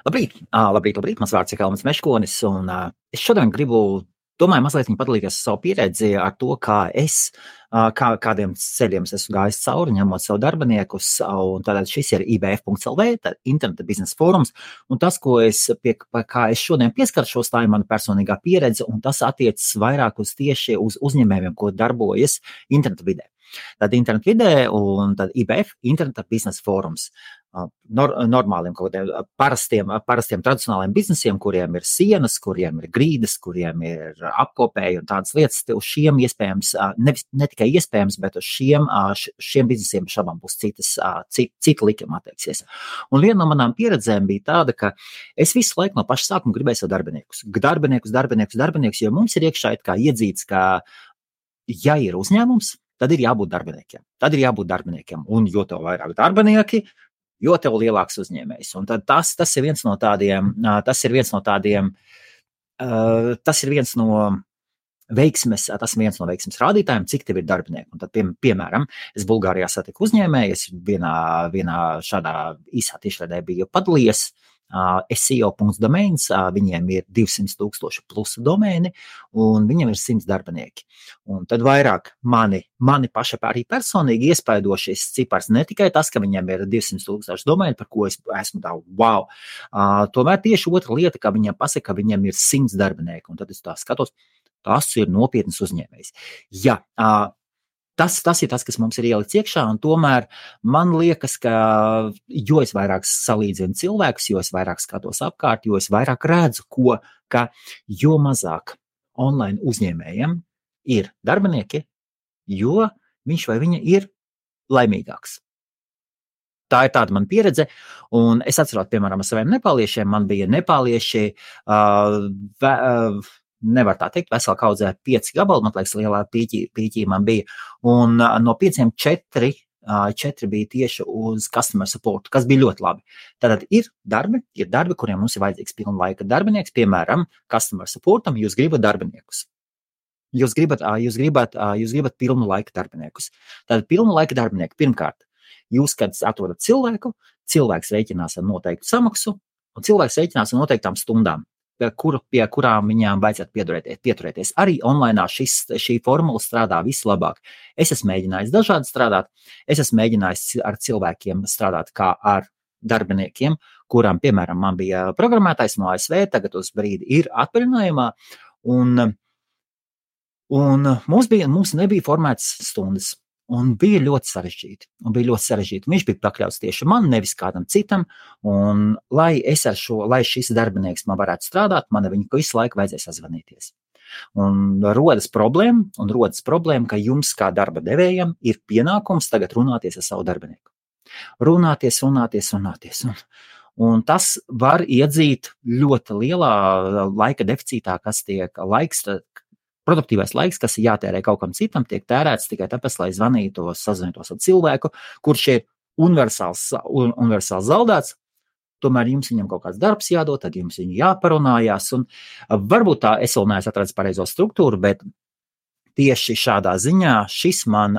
Labrīt. Mans vārds ir Kalmans Meškonis, un es šodien domāju mazliet padalīties savu pieredzi ar to, kādiem ceļiem es esmu gājis cauri, ņemot savu darbiniekus, un tātad šis ir IBF.LV, interneta biznesa fórums, un tas, kā es šodien pieskaršos, tā ir mana personīgā pieredze, un tas attiecas vairāk tieši uz uzņēmējiem, ko darbojas interneta vidē. Tad interneta vidē un tad IBF, interneta biznesa fórums. Normāliem, parastiem tradicionāliem biznesiem, kuriem ir sienas, kuriem ir grīdas, kuriem ir apkopēji un tādas lietas, uz šiem iespējams, ne tikai iespējams, bet uz šiem biznesiem šabām būs cita likuma attieksies. Un viena no manām pieredzēm bija tāda, ka es visu laiku no paša sākuma gribēju sev darbinieks, jo mums ir iekšā it kā iedzīts, ka ja ir uzņēmums, tad ir jābūt darbiniekiem. Un jo tev vairāk darbinieki, jo tev lielāks uzņēmējs. Un tad tas ir viens no veiksmes rādītājiem, cik tev ir darbinieki. Un tad, piemēram, es Bulgārijā satiku uzņēmēju, es vienā šādā īsā tiešraidē biju padalījies, SEO.domains, viņiem ir 200,000 plus domēni, un viņiem ir 100 darbinieki. Un tad vairāk mani paša arī personīgi iespaido šis cipars, ne tikai tas, ka viņiem ir 200,000 domēni, par ko es esmu tā, wow. Tomēr tieši otra lieta, ka viņiem pasaka, ka viņiem ir 100 darbinieki, un tad es tā skatos, tas ir nopietnas uzņēmējs. Jā, Tas ir tas, kas mums ir ielikts iekšā, un tomēr man liekas, ka jo es vairāk salīdzinu cilvēkus, jo es vairāk skatos apkārt, jo es vairāk redzu, ka jo mazāk online uzņēmējiem ir darbinieki, jo viņš vai viņa ir laimīgāks. Tā ir tāda mana pieredze, un es atceros, piemēram, ar saviem nepāliešiem, man bija nepālieši, nevar tā teikt, vesela kaudzē 5 gabali, man liekas, lielā pīķī man bija, un no 5 4 bija tieši uz customer support, kas bija ļoti labi. Tātad ir darbi, kuriem mums ir vajadzīgs pilna laika darbinieks, piemēram, customer supportam, jūs gribat darbiniekus. Jūs gribat pilnu laika darbiniekus. Tātad pilnu laika darbinieki, pirmkārt, jūs, kad atrodat cilvēku, cilvēks rēķinās ar noteiktu samaksu, un cilvēks rēķinās ar noteiktām stundām, pie kurām viņām vajadzētu pieturēties. Arī online šī formula strādā vislabāk. Es esmu mēģinājis dažādi strādāt, es esmu mēģinājis ar cilvēkiem strādāt kā ar darbiniekiem, kurām, piemēram, man bija programmētājs no ASV, tagad uz brīdi ir atvaļinājumā, un mums nebija formētas stundas. Un bija ļoti sarežģīti. Viņš bija pakļauts tieši man, nevis kādam citam, un lai šis darbinieks man varētu strādāt, man viņu visu laiku vajadzēja sazvanīties. Un rodas problēma, ka jums kā darba devējam ir pienākums tagad runāties ar savu darbinieku. Runāties. Un tas var iedzīt ļoti lielā laika deficītā, kas tiek produktīvais laiks, kas ir jātērē kaut kam citam, tiek tērēts tikai tāpēc, lai sazvanītos ar cilvēku, kurš ir universāls zaudēts, tomēr jums viņam kaut kāds darbs jādod, tad jums viņu jāparunājās, un varbūt tā es vēl neesmu atradis pareizo struktūru, bet tieši šādā ziņā šis man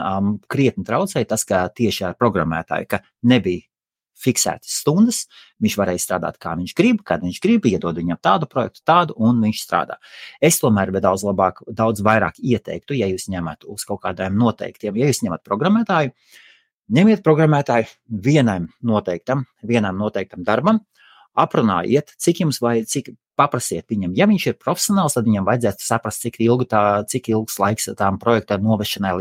krietni traucēja tas, ka tieši ar programmētāju, ka nebija fiksētas stundas, viņš varēja strādāt, kā viņš grib, kad viņš grib, iedod viņam tādu projektu, un viņš strādā. Es tomēr daudz vairāk ieteiktu, ja jūs ņemat uz kaut kādiem noteiktiem, ja jūs ņemat programmētāju, ņemiet programmētāju vienam noteiktam darbam, aprunājiet, paprasiet viņam. Ja viņš ir profesionāls, tad viņam vajadzētu saprast, cik ilgs laiks tām projektām novešanai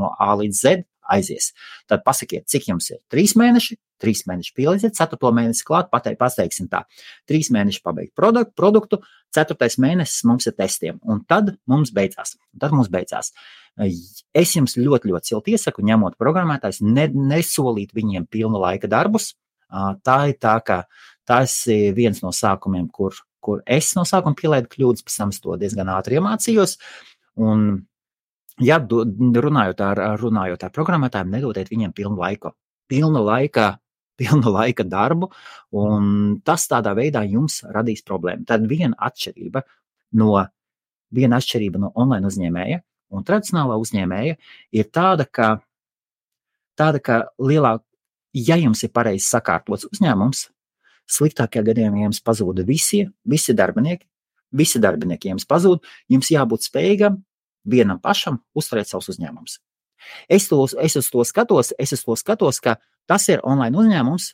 no A līdz Z aizies. Tad pasakiet, cik jums ir 3 mēneši, 3 mēneši pielīdziet, 4. mēnesi klāt, pateiksim tā, 3 mēneši pabeigt produktu, 4. mēnesis mums ir testiem, un tad mums beidzās. Es jums ļoti, ļoti silti iesaku, ņemot programmētājs, nesolīt viņiem pilna laika darbus. Tā ir tā, ka tas ir viens no sākumiem, kur es no sākuma pielaidu kļūdas, pēc tam to diezgan ātri iemācījos, un ja runājot ar programmētājiem, nedodiet viņiem pilna laika darbu, un tas tādā veidā jums radīs problēmu. Tad viena atšķirība no online uzņēmēja un tradicionālā uzņēmēja ir tāda, ka ja jums ir pareizi sakārtots uzņēmums, Sliktākajā gadījumā jums pazūda visi darbinieki, jums pazūd, jums jābūt spējīgam vienam pašam uzturēt savus uzņēmumus. Es uz to skatos, ka tas ir online uzņēmums.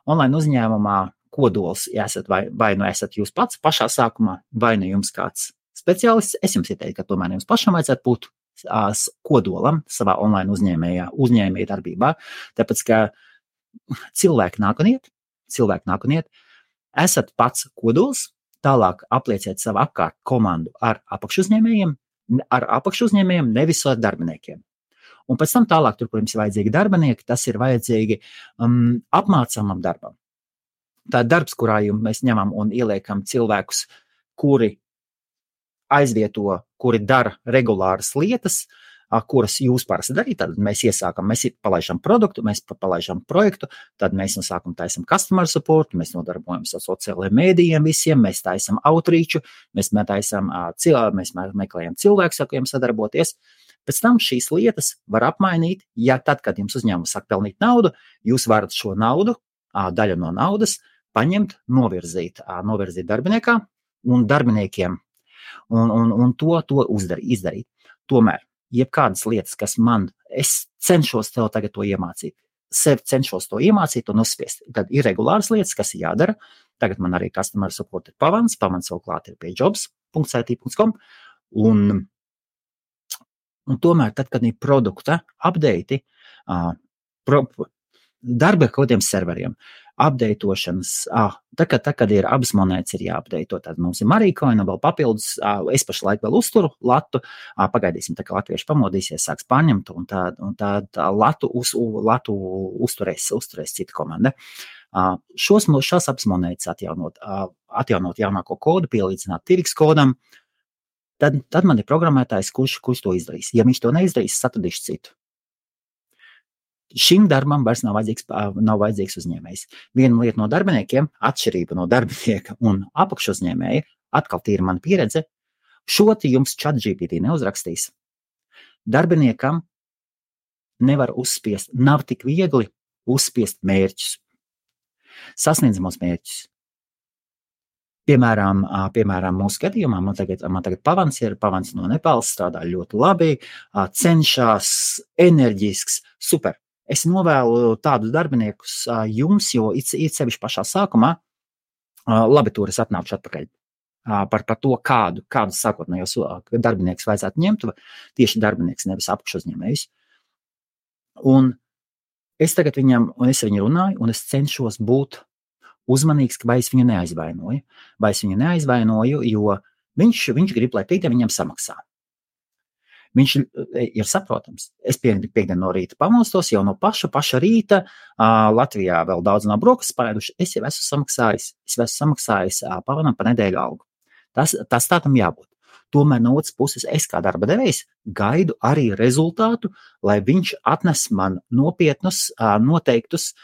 Online uzņēmumā kodols, vai nu esat jūs pats pašā sākumā, vai nu jums kāds speciālists. Es jums ieteiktu, ka tomēr jums pašam vajadzētu būt kodolam savā online uzņēmēja darbībā, tāpēc, ka cilvēki nāk un iet, esat pats kodols, tālāk aplieciet savu apkārt komandu ar apakšuzņēmējiem, nevis ar darbiniekiem. Un pēc tam tālāk, tur, kur jums ir vajadzīgi darbinieki, tas ir vajadzīgi apmācāmam darbam. Tā ir darbs, kurā mēs ņemam un ieliekam cilvēkus, kuri dara regulāras lietas, kuras jūs parasti darīt. Tad mēs palaidām produktu, mēs palaidām projektu, tad mēs no sākuma taisam customer support, mēs nodarbojamies ar sociālajiem mēdījiem visiem, mēs taisam outreachu, mēs meklējam cilvēkus, ar kuriem sadarboties. Pēc tam šīs lietas var apmainīt, ja tad, kad jums uzņēmums sāk pelnīt naudu, jūs varat šo naudu, daļu no naudas, paņemt, novirzīt darbiniekā un darbiniekiem un to izdarīt. Tomēr, jebkādas lietas, kas es cenšos tev tagad to iemācīt, cenšos to iemācīt un uzspiest. Tad ir regulāras lietas, kas ir jādara. Tagad man arī customer support ir pavans vēl klāt ir pie jobs.it.com un tomēr tad, kad ir produkta update, darba ar kodiem serveriem, updateošanas, kad ir abas monētas ir jāupdateot, tad mums ir Marīkoina vēl papildus, es pašlaik vēl uzturu latu, pagaidīsim, tā kā latvieši pamodīsies, sāks pārņemt, un tā latu uzturēs cita komanda. Šās abas monētas atjaunot jaunāko kodu, pielīdzināt tirgus kodam, tad man ir programmētājs, kurš to izdarīs. Ja viņš to neizdarīs, atradīšu citu. Šim darbam vairs nav vajadzīgs uzņēmējs. Viena lieta no darbiniekiem, atšķirība no darbinieka un apakšuzņēmēja, atkal tīra mana pieredze, jums ChatGPT neuzrakstīs. Darbiniekam nevar nav tik viegli uzspiest mērķus, sasniedzamos mērķus. Piemēram, mūsu gadījumā man tagad pavans no Nepāles, strādā ļoti labi, cenšas, enerģisks, super. Es novēlu tādus darbiniekus jums, jo it sevišķi pašā sākumā, labi, tur es atnākšu atpakaļ par to, kādu sākotnējos darbinieks vajadzētu ņemt, tieši darbinieks, nevis apakšuzņēmējs. Un es tagad viņu runāju, un es cenšos būt uzmanīgs, vai es viņu neaizvainoju, jo viņš grib, lai piekdien viņam samaksā. Viņš ir saprotams. Es piekdien no rīta pamostos, jau no paša rīta, Latvijā vēl daudz nav brokastis palaiduši, es jau esmu samaksājis pavanam pa nedēļu algu. Tas tā tam jābūt. Tomēr no otras puses, es kā darba devējs gaidu arī rezultātu, lai viņš atnes man nopietnus, noteiktus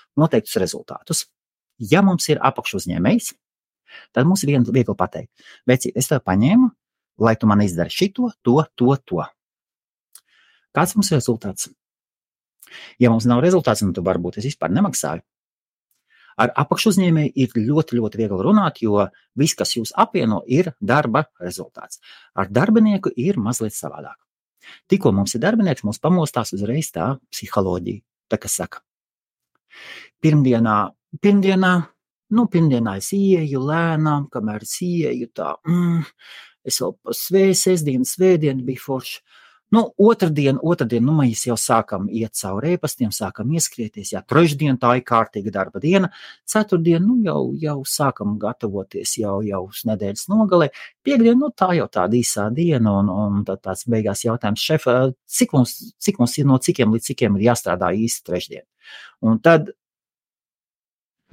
rezultātus. Ja mums ir apakšuzņēmējs, tad mums ir viegli pateikt, vecīt, es tev paņēmu, lai tu man izdari šito, to. Kāds mums ir rezultāts? Ja mums nav rezultāts, tad varbūt es vispār nemaksāju. Ar apakšuzņēmēju ir ļoti, ļoti viegli runāt, jo viss, kas jūs apvieno, ir darba rezultāts. Ar darbinieku ir mazliet savādāk. Tikko mums ir darbinieks, mums pamostās uzreiz tā psiholoģija, tā kas saka. Pirmdienā es ieju lēnām, kamēr es ieju tā, es vēl pa svētdienu bija forši. Otrdien, mēs jau sākam iet cauri e-pastiem, sākam ieskrieties, trešdien tā ir kārtīga darba diena, ceturtdien, jau sākam gatavoties jau uz nedēļas nogalē, piekdien, tā jau tāda īsā diena, un tāds beigās jautājums, šef, cik mums ir no cikiem līdz cikiem ir jāstrādā īsti trešdien. Un tad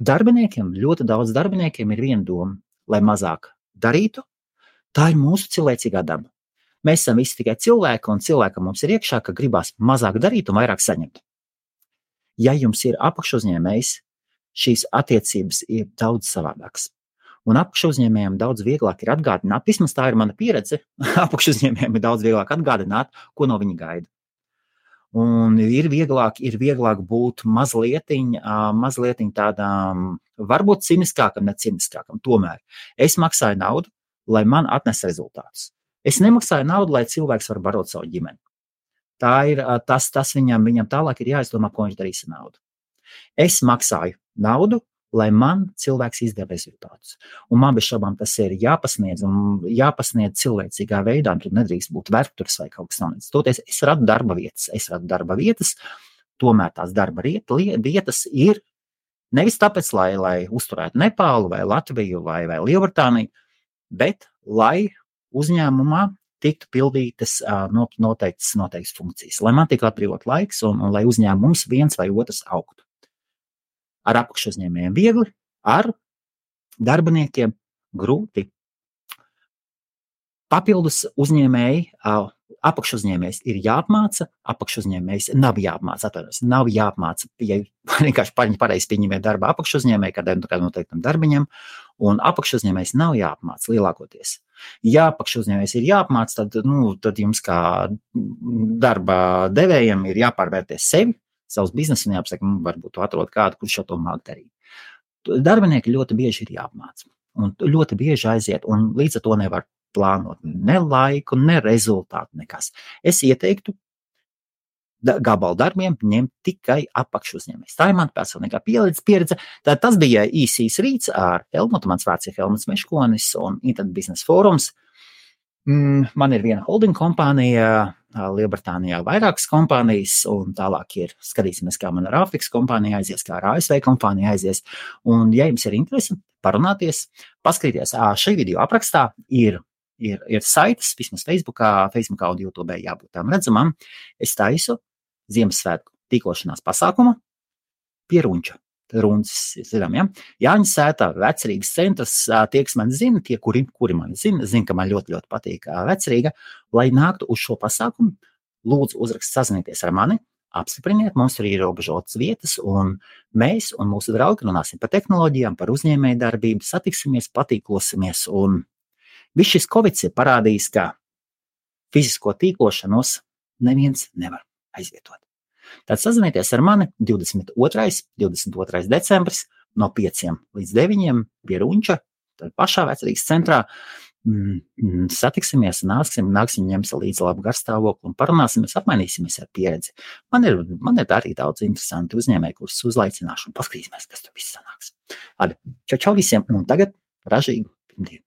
ļoti daudz darbiniekiem ir viena doma, lai mazāk darītu, tā ir mūsu cilvēcīgā daba. Mēs esam visi tikai cilvēki, un cilvēkam mums ir iekšā, ka gribās mazāk darīt un vairāk saņemt. Ja jums ir apakšuzņēmējs, šīs attiecības ir daudz savādākas. Un apakšuzņēmējiem daudz vieglāk ir atgādināt, vismaz tā ir mana pieredze, apakšuzņēmējiem ir daudz vieglāk atgādināt, ko no viņa gaida. Un ir vieglāk būt mazlietiņ tādām, varbūt ciniskākam, ne ciniskākam. Tomēr es maksāju naudu, lai man atnes rezultātus. Es nemaksāju naudu, lai cilvēks var barot savu ģimeni. Tā ir, tas viņam tālāk ir jāizdomā, ko viņš darīs ar naudu. Es maksāju naudu, lai man cilvēks izdara rezultātus. Un man bez šaubām tas ir jāpasniedz cilvēcīgā veidā, tur nedrīkst būt vērturs vai kaut kas tāds. Toties es radu darba vietas, tomēr tās darba vietas ir nevis tāpēc, lai uzturētu Nepālu vai Latviju vai Lielbritāniju, bet lai uzņēmumā tiktu pildītas noteiktas funkcijas, lai man tiktu atbrīvot laiks un lai uzņēmums viens vai otrs augtu. Ar apakšuzņēmējiem viegli, ar darbiniekiem grūti. Papildus uzņēmēji, apakšuzņēmējs ir jāapmāca, apakšuzņēmējs nav jāapmāca, ja vienkārši pareizi pieņemiet darba apakšuzņēmēji kādam noteiktam darbiņam, un apakšuzņēmējs nav jāapmāca lielākoties. Ja apakšuzņēmējs ir jāapmāca, tad jums kā darba devējiem ir jāpārvērties sevi, savus biznesu un jāpasaka, varbūt atrod kādu, kurš šo to māk darīt. Darbinieki ļoti bieži ir jāapmāca un ļoti bieži aiziet, un līdz ar to nevar plānot ne laiku, ne rezultātu, nekas. Es ieteiktu gabalu darbiem ņemt tikai apakšuzņēmējs. Tā ir man personīgā pieredze. Tas bija īsīs rīts ar Helmutu, mans vārds ir Helmuts Meškonis un Internet Business Forums. Man ir viena holding kompānija, Lielbritānijā vairākas kompānijas, un tālāk skatīsimies, kā man ar Āfrikas kompāniju aizies, kā ar ASV kompāniju aizies. Un, ja jums ir interesi parunāties, paskatīties, šī video aprakstā ir saites, vismaz Facebookā un YouTube jābūt tām redzamām. Es taisu Ziemassvētku tīkošanās pasākumu pie Runča. Runcis, zinām, ja? Jāņa sētā, Vecrīgas centrs, tie, kas man zina, tie, kuri man zina, ka man ļoti patīk Vecrīga, lai nāktu uz šo pasākumu, lūdzu sazinieties ar mani, apstipriniet, mums tur ir ierobežotas vietas, un mēs un mūsu draugi runāsim par tehnoloģijām, par uzņēmēju darbību, satiksimies, patīklosimies, un viss šis Covids ir parādījis, ka fizisko tīklošanos neviens nevar aizvietot. Tad sazinieties ar mani 22. decembris no 5 līdz 9 pie Runča, tad pašā Vecrīgas centrā. Satiksimies, nāksim, ņemsim līdzi labu garstāvokli un parunāsimies, apmainīsimies ar pieredzi. Man ir arī daudz interesanti uzņēmēji, kurus uzlaicināšu un paskatīsimies, kas tur viss sanāks. Čau visiem, un tagad ražīgu pirmdienu.